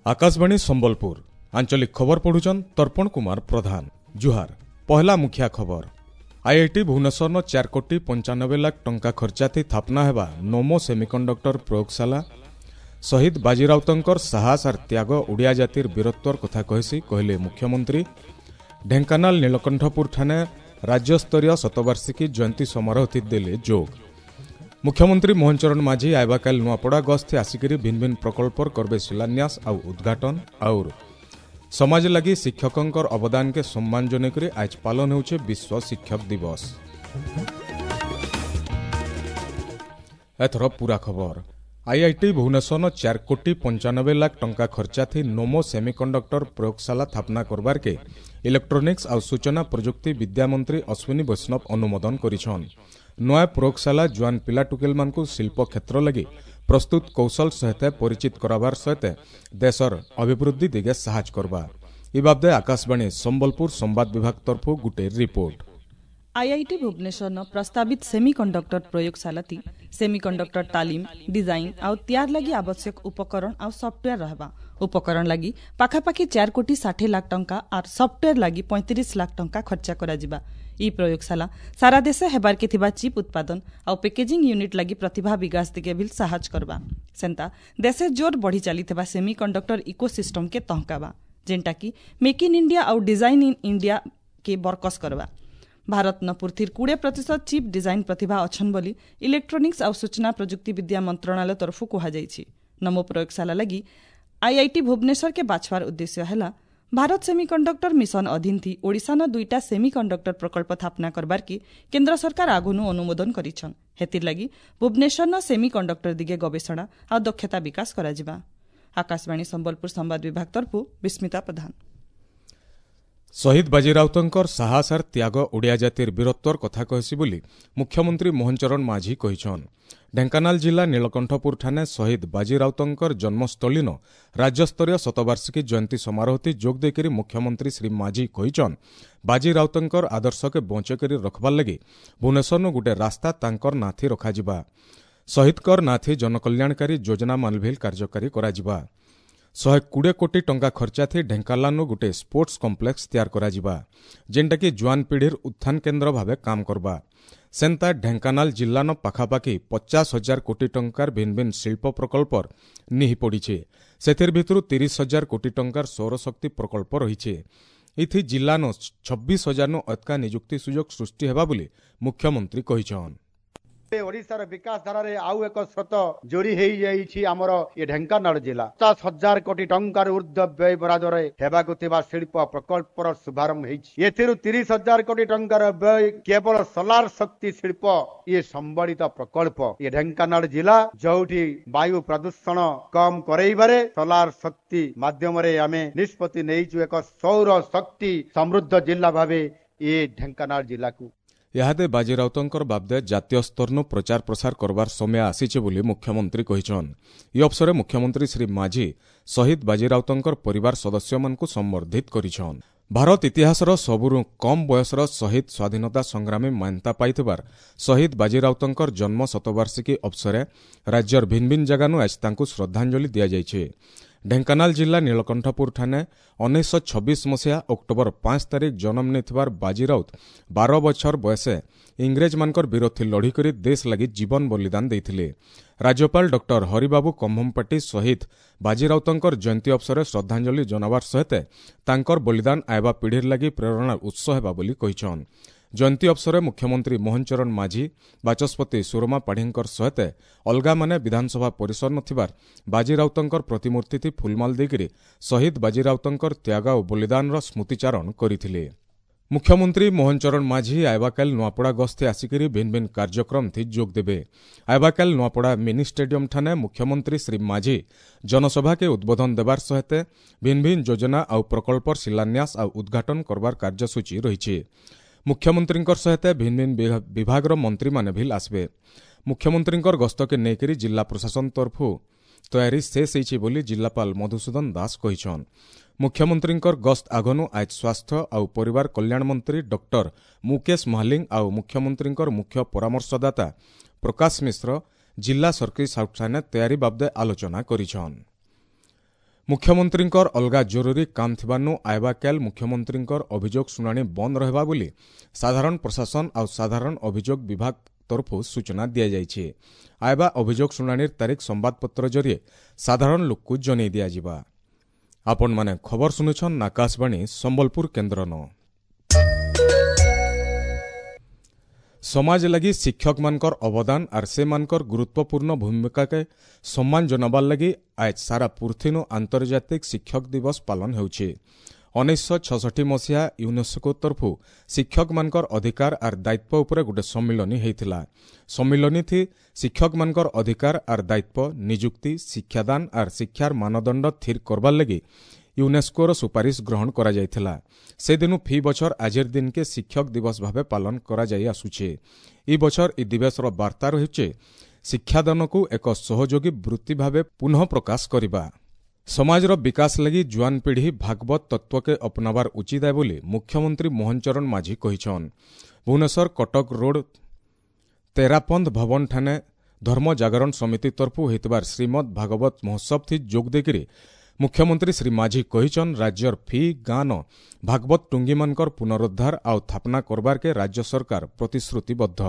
ଆକାଶବାଣୀ ସମ୍ବଲପୁର ଆଞ୍ଚଳିକ ଖବର ପଢୁଛନ୍ ତର୍ପଣ କୁମାର ପ୍ରଧାନ। ଜୁହାର। ପହଲା ମୁଖିଆ ଖବର। ଆଇଆଇଟି ଭୁବନେଶ୍ୱରନ 4 କୋଟି 95 ଲାଖ ଟଙ୍କା ଖର୍ଚ୍ଚାଥି ସ୍ଥାପନା ହେବା ନୋମୋ ସେମିକଣ୍ଡକ୍ଟର ପ୍ରୟୋଗଶାଳା ଶହୀଦ ବାଜିରାଉତଙ୍କର ସାହସ ଆର୍ ତ୍ୟାଗ ଓଡ଼ିଆ ଜାତିର ବୀରତ୍ୱର କଥା କହିସି, କହିଲେ ମୁଖ୍ୟମନ୍ତ୍ରୀ। ଢେଙ୍କାନାଳ ନୀଳକଣ୍ଠପୁର ଠାନେ ରାଜ୍ୟସ୍ତରୀୟ ଶତବାର୍ଷିକୀ ଜୟନ୍ତୀ ସମାରୋହ ଦେଲେ ଯୋଗ। ମୁଖ୍ୟମନ୍ତ୍ରୀ ମୋହନ ଚରଣ ମାଝୀ ଆଇବାକାଲି ନୂଆପଡ଼ା ଗସ୍ତି ଆସିକରି ଭିନ୍ନ ଭିନ୍ନ ପ୍ରକଳ୍ପର କରବେ ଶିଳାନ୍ୟାସ ଆଉ ଉଦ୍ଘାଟନ। ଆଉର ସମାଜ ଲାଗି ଶିକ୍ଷକଙ୍କର ଅବଦାନକେ ସମ୍ମାନ ଜଣାଇକରି ଆଜ ପାଳନ ହେଉଛି ବିଶ୍ୱ ଶିକ୍ଷକ ଦିବସ। ଏଥର ପୁରା ଖବର। ଆଇଆଇଟି ଭୁବନେଶ୍ୱର 4 କୋଟି 95 ଲାଖ ଟଙ୍କା ଖର୍ଚ୍ଚାଥି ନୋମୋ ସେମିକଣ୍ଡକ୍ଟର ପ୍ରୟୋଗଶାଳା ସ୍ଥାପନା କରବାରକେ ଇଲେକ୍ଟ୍ରୋନିକ୍ସ ଆଉ ସୂଚନା ପ୍ରଯୁକ୍ତି ବିଦ୍ୟାମନ୍ତ୍ରୀ ଅଶ୍ୱିନୀ ବୈଷ୍ଣବ ଅନୁମୋଦନ କରିଛନ୍। ନୂଆ ପ୍ରୟୋଗଶାଳା ଜୁଆନ ପିଲା ଟୁକେଲମାନଙ୍କୁ ଶିଳ୍ପ କ୍ଷେତ୍ର ଲାଗି ପ୍ରସ୍ତୁତ କୌଶଳ ସହିତ ପରିଚିତ କରାବାର ସହିତ ଦେଶର ଅଭିବୃଦ୍ଧି ଦିଗେ ସାହାଯ୍ୟ କରବା। ଇ ବାବଦେ ଆକାଶବାଣୀ ସମ୍ବଲପୁର ସମ୍ବାଦ ବିଭାଗ ତରଫରୁ ଗୁଟେ ରିପୋର୍ଟ। ଆଇଆଇଟି ଭୁବନେଶ୍ୱରନ ପ୍ରସ୍ତାବିତ ସେମିକଣ୍ଡକ୍ଟର ପ୍ରୟୋଗଶାଳାତି ସେମିକଣ୍ଡକ୍ଟର ତାଲିମ, ଡିଜାଇନ ଆଉ ତିଆର ଲାଗି ଆବଶ୍ୟକ ଉପକରଣ ଆଉ ସଫ୍ଟୱେୟାର ରହିବା। ଉପକରଣ ଲାଗି ପାଖାପାଖି 4 କୋଟି 60 ଲାଖ ଟଙ୍କା ଆର୍ ସଫ୍ଟୱେୟାର ଲାଗି 35 ଲାଖ ଟଙ୍କା ଖର୍ଚ୍ଚ କରାଯିବା। ଇ ପ୍ରୟୋଗଶାଳା ସାରା ଦେଶେ ହେବାର୍କେ ଥିବା ଚିପ୍ ଉତ୍ପାଦନ ଆଉ ପ୍ୟାକେଜିଂ ୟୁନିଟ୍ ଲାଗି ପ୍ରତିଭା ବିକାଶ ଦିଗେ ବି ସାହାଯ୍ୟ କରବା। ସେନ୍ତା ଦେଶେ ଜୋର ବଢ଼ି ଚାଲିଥିବା ସେମିକଣ୍ଡକ୍ଟର ଇକୋସିଷ୍ଟମକେ ତହକାବା, ଯେନ୍ଟାକି ମେକ୍ ଇନ୍ ଇଣ୍ଡିଆ ଆଉ ଡିଜାଇନ୍ ଇନ୍ ଇଣ୍ଡିଆ କେ ବରକସ କରବା। ଭାରତ ନ ପୃଥିବୀର 20% ଚିପ୍ ଡିଜାଇନ୍ ପ୍ରତିଭା ଅଛନ୍ ବୋଲି ଇଲେକ୍ଟ୍ରୋନିକ୍ସ ଆଉ ସୂଚନା ପ୍ରଯୁକ୍ତି ବିଦ୍ୟା ମନ୍ତ୍ରଣାଳୟ ତରଫରୁ କୁହାଯାଇଛି। ନମୋ ପ୍ରୟୋଗଶାଳା ଲାଗି ଆଇଆଇଟି ଭୁବନେଶ୍ୱରକେ ବାଛବାର ଉଦ୍ଦେଶ୍ୟ ହେଲା ଭାରତ ସେମିକଣ୍ଡକ୍ଟର ମିଶନ ଅଧୀନ ଥି ଓଡ଼ିଶାନ ଦୁଇଟା ସେମିକଣ୍ଡକ୍ଟର ପ୍ରକଳ୍ପ ସ୍ଥାପନା କରବାର୍କେ କେନ୍ଦ୍ର ସରକାର ଆଗନୁ ଅନୁମୋଦନ କରିଛନ୍। ହେଥିର୍ ଲାଗି ଭୁବନେଶ୍ୱରନ ସେମିକଣ୍ଡକ୍ଟର ଦିଗେ ଗବେଷଣା ଆଉ ଦକ୍ଷତା ବିକାଶ କରାଯିବା। ଆକାଶବାଣୀ ସମ୍ବଲପୁର ସମ୍ବାଦ ବିଭାଗ ତରଫରୁ ବିସ୍ମିତା ପ୍ରଧାନ। ଶହୀଦ ବାଜିରାଉତଙ୍କର ସାହସ ଆର୍ ତ୍ୟାଗ ଓଡ଼ିଆ ଜାତିର ବୀରତ୍ୱର କଥା କହିସି ବୋଲି ମୁଖ୍ୟମନ୍ତ୍ରୀ ମୋହନ ଚରଣ ମାଝୀ କହିଛନ୍। ଢେଙ୍କାନାଳ ଜିଲ୍ଲା ନୀଳକଣ୍ଠପୁର ଠାନେ ଶହୀଦ ବାଜିରାଉତଙ୍କର ଜନ୍ମସ୍ଥଳୀନ ରାଜ୍ୟସ୍ତରୀୟ ଶତବାର୍ଷିକୀ ଜୟନ୍ତୀ ସମାରୋହତି ଯୋଗ ଦେଇକରି ମୁଖ୍ୟମନ୍ତ୍ରୀ ଶ୍ରୀ ମାଝୀ କହିଛନ୍, ବାଜିରାଉତଙ୍କର ଆଦର୍ଶକେ ବଞ୍ଚେଇକରି ରଖବାର୍ ଲାଗି ଭୁବନେଶ୍ୱରନୁ ଗୁଟେ ରାସ୍ତା ତାଙ୍କର ନାଥି ରଖାଯିବା। ଶହୀଦଙ୍କର ନାଥି ଜନକଲ୍ୟାଣକାରୀ ଯୋଜନା ମାନଭିଲ କାର୍ଯ୍ୟକାରୀ କରାଯିବା। 120 କୋଟି ଟଙ୍କା ଖର୍ଚ୍ଚାଥି ଢେଙ୍କାନାଳନୁ ଗୁଟେ ସ୍ପୋର୍ଟସ କମ୍ପ୍ଲେକ୍ସ ତିଆର କରାଯିବା, ଯେନ୍ଟାକି ଜୁଆନ ପିଢ଼ିର ଉତ୍ଥାନ କେନ୍ଦ୍ର ଭାବେ କାମ କରବା। ସେନ୍ତା ଢେଙ୍କାନାଳ ଜିଲ୍ଲାନ ପାଖାପାଖି 50 ହଜାର କୋଟି ଟଙ୍କାର ଭିନ୍ନ ଭିନ୍ନ ଶିଳ୍ପ ପ୍ରକଳ୍ପର ନିହି ପଡ଼ିছে। ସେଥିର ଭିତରୁ 30 ହଜାର କୋଟି ଟଙ୍କାର ସୌରଶକ୍ତି ପ୍ରକଳ୍ପ ରହିছে। ଇଥି ଜିଲ୍ଲାନ 26 ହଜାରନୁ ଅଧିକା ନିଯୁକ୍ତି ସୁଯୋଗ ସୃଷ୍ଟି ହେବା ବୋଲି ମୁଖ୍ୟମନ୍ତ୍ରୀ କହିଛନ୍। ଓଡ଼ିଶାର ବିକାଶ ଧାରାରେ ଆଉ ଏକ ସ୍ରୋତ ଯୋଡ଼ି ହେଇଯାଇଛି ଆମର ଏ ଢେଙ୍କାନାଳ ଜିଲ୍ଲା। 50 ହଜାର କୋଟି ଟଙ୍କାରୁ ଉର୍ଦ୍ଧ୍ୱ ବ୍ୟୟ ବରାଦରେ ହେବାକୁ ଥିବା ଶିଳ୍ପ ପ୍ରକଳ୍ପର ଶୁଭାରମ୍ଭ ହେଇଛି। ଏଥିରୁ 30 ହଜାର କୋଟି ଟଙ୍କାର ବ୍ୟୟ କେବଳ ସୋଲାର ଶକ୍ତି ଶିଳ୍ପ ଇଏ ସମ୍ବଳିତ ପ୍ରକଳ୍ପ। ଏ ଢେଙ୍କାନାଳ ଜିଲ୍ଲା ଯୋଉଠି ବାୟୁ ପ୍ରଦୂଷଣ କମ କରେଇବାରେ ସୋଲାର ଶକ୍ତି ମାଧ୍ୟମରେ ଆମେ ନିଷ୍ପତ୍ତି ନେଇଛୁ, ଏକ ସୌର ଶକ୍ତି ସମୃଦ୍ଧ ଜିଲ୍ଲା ଭାବେ ଏ ଢେଙ୍କାନାଳ ଜିଲ୍ଲାକୁ। ଇହାଦେ ବାଜିରାଉତଙ୍କର ବାବଦେ ଜାତୀୟ ସ୍ତରନୁ ପ୍ରଚାର ପ୍ରସାର କରବାର ସମୟ ଆସିছে ବୋଲି ମୁଖ୍ୟମନ୍ତ୍ରୀ କହିଛନ୍। ଇ ଅବସରେ ମୁଖ୍ୟମନ୍ତ୍ରୀ ଶ୍ରୀ ମାଝୀ ଶହୀଦ ବାଜିରାଉତଙ୍କର ପରିବାର ସଦସ୍ୟମାନଙ୍କୁ ସମ୍ବର୍ଦ୍ଧିତ କରିଛନ୍। ଭାରତ ଇତିହାସର ସବୁରୁ କମ୍ ବୟସର ଶହୀଦ ସ୍ୱାଧୀନତା ସଂଗ୍ରାମୀ ମାନ୍ୟତା ପାଇଥିବାର ଶହୀଦ ବାଜିରାଉତଙ୍କର ଜନ୍ମ ଶତବାର୍ଷିକୀ ଅବସରେ ରାଜ୍ୟର ଭିନ୍ନ ଭିନ୍ନ ଜାଗାନୁ ଆଜି ତାଙ୍କୁ ଶ୍ରଦ୍ଧାଞ୍ଜଳି ଦିଆଯାଇଛି। ଢେଙ୍କାନାଳ ଜିଲ୍ଲା ନୀଳକଣ୍ଠପୁର ଠାନେ 1926 ମସିହା ଅକ୍ଟୋବର 5 ତାରିଖ ଜନ୍ମ ନେଇଥିବାର ବାଜିରାଉତ 12 ବଛର ବୟସେ ଇଂରେଜମାନଙ୍କର ବିରୋଧୀ ଲଢ଼ିକରି ଦେଶ ଲାଗି ଜୀବନ ବଳିଦାନ ଦେଇଥିଲେ। ରାଜ୍ୟପାଳ ଡକ୍ଟର ହରିବାବୁ କମ୍ଭମପାଟି ଶହୀଦ ବାଜିରାଉତଙ୍କର ଜୟନ୍ତୀ ଅବସରରେ ଶ୍ରଦ୍ଧାଞ୍ଜଳି ଜଣାବାର ସହିତ ତାଙ୍କର ବଳିଦାନ ଆଇବା ପିଢ଼ିର ଲାଗି ପ୍ରେରଣାର ଉତ୍ସ ହେବା ବୋଲି କହିଛନ୍। ଜୟନ୍ତୀ ଅବସରରେ ମୁଖ୍ୟମନ୍ତ୍ରୀ ମୋହନ ଚରଣ ମାଝୀ, ବାଚସ୍ପତି ସୁରମା ପାଢ଼ୀଙ୍କର ସହିତ ଅଲଗାମାନେ ବିଧାନସଭା ପରିସର ନଥିବାର ବାଜିରାଉତଙ୍କର ପ୍ରତିମୂର୍ତ୍ତି ଫୁଲମାଲ ଦେଇକରି ଶହୀଦ ବାଜିରାଉତଙ୍କର ତ୍ୟାଗ ଓ ବଳିଦାନର ସ୍ମୃତିଚାରଣ କରିଥିଲେ। ମୁଖ୍ୟମନ୍ତ୍ରୀ ମୋହନ ଚରଣ ମାଝୀ ଆଇବାକାଲି ନୂଆପଡ଼ା ଗସ୍ତି ଆସିକରି ଭିନ୍ନ ଭିନ୍ନ କାର୍ଯ୍ୟକ୍ରମ ଯୋଗ ଦେବେ। ଆଇବାକାଲି ନୂଆପଡ଼ା ମିନି ଷ୍ଟାଡିୟମ ଠାନେ ମୁଖ୍ୟମନ୍ତ୍ରୀ ଶ୍ରୀ ମାଝୀ ଜନସଭାକେ ଉଦ୍ବୋଧନ ଦେବାର ସହିତ ଭିନ୍ନ ଭିନ୍ନ ଯୋଜନା ଆଉ ପ୍ରକଳ୍ପର ଶିଳାନ୍ୟାସ ଆଉ ଉଦ୍ଘାଟନ କରବାର କାର୍ଯ୍ୟସୂଚୀ ରହିଛି। ମୁଖ୍ୟମନ୍ତ୍ରୀଙ୍କର ସହିତ ଭିନ୍ନ ଭିନ୍ନ ବିଭାଗର ମନ୍ତ୍ରୀମାନେ ଭିଲ୍ ଆସିବେ। ମୁଖ୍ୟମନ୍ତ୍ରୀଙ୍କର ଗସ୍ତକେ ନେଇକରି ଜିଲ୍ଲା ପ୍ରଶାସନ ତରଫରୁ ତୟାରୀ ଶେଷ ହେଇଛି ବୋଲି ଜିଲ୍ଲାପାଳ ମଧୁସୂଦନ ଦାସ କହିଛନ୍। ମୁଖ୍ୟମନ୍ତ୍ରୀଙ୍କର ଗସ୍ତ ଆଗନୁ ଆଜ ସ୍ୱାସ୍ଥ୍ୟ ଆଉ ପରିବାର କଲ୍ୟାଣ ମନ୍ତ୍ରୀ ଡକ୍ଟର ମୁକେଶ ମହାଲିଙ୍ଗ ଆଉ ମୁଖ୍ୟମନ୍ତ୍ରୀଙ୍କର ମୁଖ୍ୟ ପରାମର୍ଶଦାତା ପ୍ରକାଶ ମିଶ୍ର ଜିଲ୍ଲା ସର୍କିଟ୍ ହାଉସ୍ ଠାନେ ତୟାରୀ ବାବଦେ ଆଲୋଚନା କରିଛନ୍। ମୁଖ୍ୟମନ୍ତ୍ରୀଙ୍କର ଅଲଗା ଜରୁରୀ କାମ ଥିବାନୁ ଆଇବା କାଲ ମୁଖ୍ୟମନ୍ତ୍ରୀଙ୍କର ଅଭିଯୋଗ ଶୁଣାଣି ବନ୍ଦ ରହିବା ବୋଲି ସାଧାରଣ ପ୍ରଶାସନ ଆଉ ସାଧାରଣ ଅଭିଯୋଗ ବିଭାଗ ତରଫରୁ ସୂଚନା ଦିଆଯାଇଛି। ଆଇବା ଅଭିଯୋଗ ଶୁଣାଣିର ତାରିଖ ସମ୍ବାଦପତ୍ର ଜରିଏ ସାଧାରଣ ଲୋକକୁ ଜଣାଇ ଦିଆଯିବା। ଆପଣମାନେ ଖବର ଶୁଣୁଛନ୍ ଆକାଶବାଣୀ ସମ୍ବଲପୁର କେନ୍ଦ୍ରନ। ସମାଜ ଲାଗି ଶିକ୍ଷକମାନଙ୍କର ଅବଦାନ ଆର୍ ସେମାନଙ୍କର ଗୁରୁତ୍ୱପୂର୍ଣ୍ଣ ଭୂମିକାକେ ସମ୍ମାନ ଜଣାବାର ଲାଗି ଆଜ୍ ସାରା ପୃଥିନୁ ଆନ୍ତର୍ଜାତିକ ଶିକ୍ଷକ ଦିବସ ପାଳନ ହେଉଛି। 1966 ମସିହା ୟୁନେସ୍କୋ ତରଫୁ ଶିକ୍ଷକମାନଙ୍କର ଅଧିକାର ଆର୍ ଦାୟିତ୍ୱ ଉପରେ ଗୋଟେ ସମ୍ମିଳନୀ ହେଇଥିଲା। ସମ୍ମିଳନୀଥି ଶିକ୍ଷକମାନଙ୍କର ଅଧିକାର ଆର୍ ଦାୟିତ୍ୱ, ନିଯୁକ୍ତି, ଶିକ୍ଷାଦାନ ଆର୍ ଶିକ୍ଷାର ମାନଦଣ୍ଡ ସ୍ଥିର କରବାର ଲାଗି ୟୁନେସ୍କୋର ସୁପାରିଶ ଗ୍ରହଣ କରାଯାଇଥିଲା। ସେଦିନୁ ଫି ବଛର ଆଜିର ଦିନକେ ଶିକ୍ଷକ ଦିବସ ଭାବେ ପାଳନ କରାଯାଇ ଆସୁଛେ। ଇ ବଛର ଇ ଦିବସର ବାର୍ତ୍ତା ରହିছে ଶିକ୍ଷାଦାନକୁ ଏକ ସହଯୋଗୀ ବୃତ୍ତି ଭାବେ ପୁନଃ ପ୍ରକାଶ କରିବା। ସମାଜର ବିକାଶ ଲାଗି ଜୁଆନ ପିଢ଼ି ଭାଗବତ ତତ୍ତ୍ୱକେ ଅପନାବାର ଉଚିତ ବୋଲି ମୁଖ୍ୟମନ୍ତ୍ରୀ ମୋହନ ଚରଣ ମାଝୀ କହିଛନ୍। ଭୁବନେଶ୍ୱର କଟକ ରୋଡ ତେରାପନ୍ଥ ଭବନ ଠାନେ ଧର୍ମ ଜାଗରଣ ସମିତି ତରଫୁ ହୋଇଥିବାର ଶ୍ରୀମଦ୍ ଭାଗବତ ମହୋତ୍ସବ ଥି ଯୋଗ ଦେଇକରି ମୁଖ୍ୟମନ୍ତ୍ରୀ ଶ୍ରୀ ମାଝୀ କହିଛନ୍, ରାଜ୍ୟର ଫି ଗାଁନ ଭାଗବତ ଟୁଙ୍ଗୀମାନଙ୍କର ପୁନରୁଦ୍ଧାର ଆଉ ସ୍ଥାପନା କରବାର୍କେ ରାଜ୍ୟ ସରକାର ପ୍ରତିଶ୍ରୁତିବଦ୍ଧ।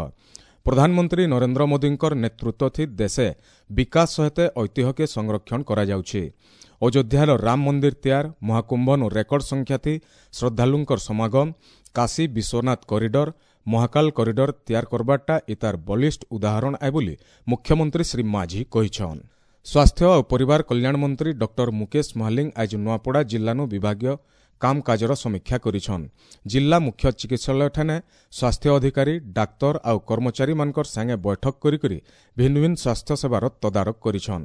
ପ୍ରଧାନମନ୍ତ୍ରୀ ନରେନ୍ଦ୍ର ମୋଦୀଙ୍କର ନେତୃତ୍ୱ ଥି ଦେଶେ ବିକାଶ ସହିତ ଐତିହ୍ୟକେ ସଂରକ୍ଷଣ କରାଯାଉଛି। ଅଯୋଧ୍ୟାର ରାମ ମନ୍ଦିର ତିଆର, ମହାକୁମ୍ଭନୁ ରେକର୍ଡ ସଂଖ୍ୟା ଥି ଶ୍ରଦ୍ଧାଳୁଙ୍କର ସମାଗମ, କାଶୀ ବିଶ୍ୱନାଥ କରିଡର, ମହାକାଲ କରିଡର ତିଆର କରବାରଟା ଇତାର ବଳିଷ୍ଠ ଉଦାହରଣ ଆଏ ବୋଲି ମୁଖ୍ୟମନ୍ତ୍ରୀ ଶ୍ରୀ ମାଝୀ କହିଛନ୍। ସ୍ୱାସ୍ଥ୍ୟ ଓ ପରିବାର କଲ୍ୟାଣ ମନ୍ତ୍ରୀ ଡକ୍ଟର ମୁକେଶ ମହାଲିଙ୍ଗ ଆଜି ନୂଆପଡ଼ା ଜିଲ୍ଲାନୁ ବିଭାଗୀୟ କାମକାଜର ସମୀକ୍ଷା କରିଛନ୍। ଜିଲ୍ଲା ମୁଖ୍ୟ ଚିକିତ୍ସାଳୟଠାନେ ସ୍ୱାସ୍ଥ୍ୟ ଅଧିକାରୀ, ଡାକ୍ତର ଆଉ କର୍ମଚାରୀମାନଙ୍କର ସାଙ୍ଗେ ବୈଠକ କରିକରି ଭିନ୍ନ ଭିନ୍ନ ସ୍ୱାସ୍ଥ୍ୟ ସେବାର ତଦାରଖ କରିଛନ୍।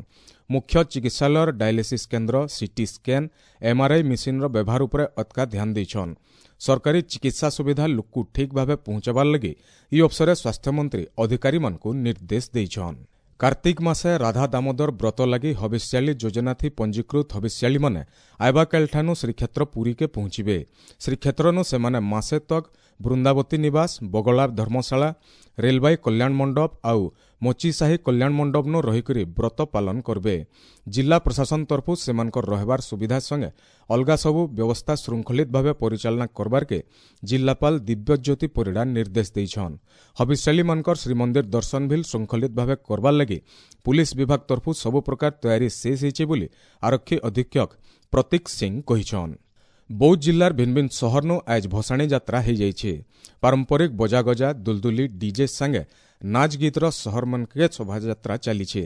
ମୁଖ୍ୟ ଚିକିତ୍ସାଳୟର ଡାୟାଲିସିସ୍ କେନ୍ଦ୍ର, ସିଟି ସ୍କାନ୍, ଏମ୍ଆର୍ଆଇ ମେସିନ୍ର ବ୍ୟବହାର ଉପରେ ଅତ୍କା ଧ୍ୟାନ ଦେଇଛନ୍। ସରକାରୀ ଚିକିତ୍ସା ସୁବିଧା ଲୋକକୁ ଠିକ୍ ଭାବେ ପହଞ୍ଚାବାର ଲାଗି ଇ ଅବସରେ ସ୍ୱାସ୍ଥ୍ୟମନ୍ତ୍ରୀ ଅଧିକାରୀମାନଙ୍କୁ ନିର୍ଦ୍ଦେଶ ଦେଇଛନ୍। କାର୍ତ୍ତିକ ମାସେ ରାଧା ଦାମୋଦର ବ୍ରତ ଲାଗି ହବିଷ୍ୟାଳୀ ଯୋଜନାଥି ପଞ୍ଜୀକୃତ ହବିଷ୍ୟାଳୀମାନେ ଆଇବାକାଲଠାନୁ ଶ୍ରୀକ୍ଷେତ୍ର ପୁରୀକେ ପହଞ୍ଚିବେ। ଶ୍ରୀକ୍ଷେତ୍ରନୁ ସେମାନେ ମାସେ ତକ୍ ବୃନ୍ଦାବତୀ ନିବାସ, ବଗଳା ଧର୍ମଶାଳା, ରେଲବାଇ କଲ୍ୟାଣ ମଣ୍ଡପ ଆଉ ମୋଚିସାହି କଲ୍ୟାଣ ମଣ୍ଡପନୁ ରହିକରି ବ୍ରତ ପାଳନ କରବେ। ଜିଲ୍ଲା ପ୍ରଶାସନ ତରଫୁ ସେମାନଙ୍କର ରହିବାର ସୁବିଧା ସଙ୍ଗେ ଅଲଗା ସବୁ ବ୍ୟବସ୍ଥା ଶୃଙ୍ଖଳିତ ଭାବେ ପରିଚାଳନା କରବାର୍କେ ଜିଲ୍ଲାପାଳ ଦିବ୍ୟଜ୍ୟୋତି ପରିଡ଼ା ନିର୍ଦ୍ଦେଶ ଦେଇଛନ୍। ହବିଷ୍ୟାଳୀମାନଙ୍କର ଶ୍ରୀମନ୍ଦିର ଦର୍ଶନ ଭିଲ୍ ଶୃଙ୍ଖଳିତ ଭାବେ କରବାର୍ ଲାଗି ପୁଲିସ ବିଭାଗ ତରଫୁ ସବୁ ପ୍ରକାର ତୟାରୀ ଶେଷ ହେଇছে ବୋଲି ଆରକ୍ଷୀ ଅଧୀକ୍ଷକ ପ୍ରତୀକ ସିଂ କହିଛନ୍। ବୌଦ୍ଧ ଜିଲ୍ଲାର ଭିନ୍ନ ଭିନ୍ନ ସହରନୁ ଆଜ ଭସାଣୀ ଯାତ୍ରା ହେଇଯାଇଛି। ପାରମ୍ପରିକ ବଜାଗଜା, ଦୁଲଦୁଲି, ଡିଜେ ସାଙ୍ଗେ ନାଚ ଗୀତର ସହରମାନକେ ଶୋଭାଯାତ୍ରା ଚାଲିছে।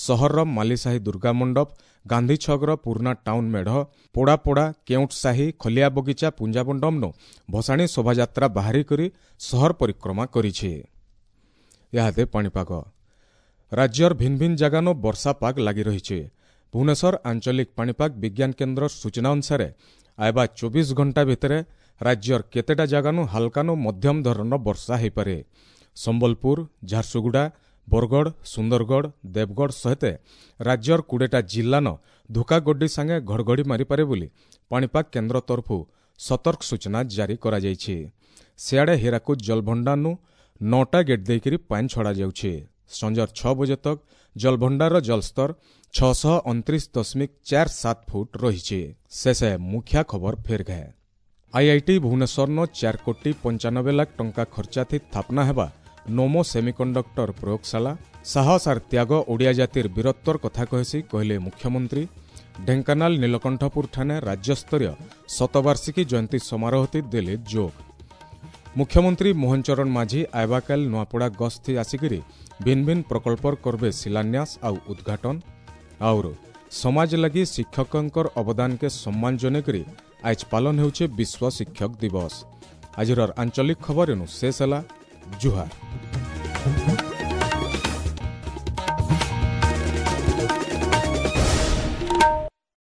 ସହରର ମାଲିସାହି ଦୁର୍ଗା ମଣ୍ଡପ, ଗାନ୍ଧୀ ଛକର ପୁରୁଣା ଟାଉନ୍ ମେଢ଼, ପୋଡ଼ାପୋଡ଼ା, କେଉଁଟ ସାହି, ଖଲିଆ ବଗିଚା, ପୁଞ୍ଜାମଣ୍ଡପନୁ ଭସାଣୀ ଶୋଭାଯାତ୍ରା ବାହାରି କରି ସହର ପରିକ୍ରମା କରିছে। ଇହାଦେ ପାଣିପାଗ। ରାଜ୍ୟର ଭିନ୍ନ ଭିନ୍ନ ଜାଗାନୁ ବର୍ଷା ପାଗ ଲାଗି ରହିছে। ଭୁବନେଶ୍ୱର ଆଞ୍ଚଳିକ ପାଣିପାଗ ବିଜ୍ଞାନ କେନ୍ଦ୍ର ସୂଚନା ଅନୁସାରେ ଆଇବା 24 ଘଣ୍ଟା ଭିତରେ ରାଜ୍ୟର କେତେଟା ଜାଗାନୁ ହାଲକାନୁ ମଧ୍ୟମ ଧରଣର ବର୍ଷା ହୋଇପାରେ। ସମ୍ବଲପୁର, ଝାରସୁଗୁଡ଼ା, ବରଗଡ଼, ସୁନ୍ଦରଗଡ଼, ଦେବଗଡ଼ ସହିତ ରାଜ୍ୟର 20ଟା ଜିଲ୍ଲାନ ଧୋକାଗଡ୍ଡି ସାଙ୍ଗେ ଘଡ଼ଘଡ଼ି ମାରିପାରେ ବୋଲି ପାଣିପାଗ କେନ୍ଦ୍ର ତରଫୁ ସତର୍କ ସୂଚନା ଜାରି କରାଯାଇଛି। ସିଆଡ଼େ ହୀରାକୁଦ ଜଳଭଣ୍ଡାରନୁ 9ଟା ଗେଟ୍ ଦେଇକରି ପାଣି ଛଡ଼ାଯାଉଛି। ସଞ୍ଜର 6 ବଜେ ତକ୍ ଜଳଭଣ୍ଡାରର ଜଳସ୍ତର 629.47 ଫୁଟ ରହିଛି। ଶେଷେ ମୁଖ୍ୟ ଖବର ଫେର ଗଏ। ଆଇଆଇଟି ଭୁବନେଶ୍ୱରନ 4 କୋଟି 95 ଲାଖ ଟଙ୍କା ଖର୍ଚ୍ଚାଥି ସ୍ଥାପନା ହେବା ନୋମୋ ସେମିକଣ୍ଡକ୍ଟର ପ୍ରୟୋଗଶାଳା। ସାହସ ଆର୍ ତ୍ୟାଗ ଓଡ଼ିଆ ଜାତିର ବୀରତ୍ୱର କଥା କହେସି କହିଲେ ମୁଖ୍ୟମନ୍ତ୍ରୀ। ଢେଙ୍କାନାଳ ନୀଳକଣ୍ଠପୁର ଠାନେ ରାଜ୍ୟସ୍ତରୀୟ ଶତବାର୍ଷିକୀ ଜୟନ୍ତୀ ସମାରୋହତି ଦେଲେ ଯୋଗ। ମୁଖ୍ୟମନ୍ତ୍ରୀ ମୋହନ ଚରଣ ମାଝୀ ଆଇବାକାଲ ନୂଆପଡ଼ା ଗସ୍ତି ଆସିକରି ଭିନ୍ନ ଭିନ୍ନ ପ୍ରକଳ୍ପର କରବେ ଶିଳାନ୍ୟାସ ଆଉ ଉଦ୍ଘାଟନ। ଆଉର ସମାଜ ଲାଗି ଶିକ୍ଷକଙ୍କର ଅବଦାନକେ ସମ୍ମାନ ଜଣାଇକରି ଆଜ ପାଳନ ହେଉଛି ବିଶ୍ୱ ଶିକ୍ଷକ ଦିବସ। ଆଜିର ଆଞ୍ଚଳିକ ଖବର ଏନୁ ଶେଷ ହେଲା। ଜୁହାର।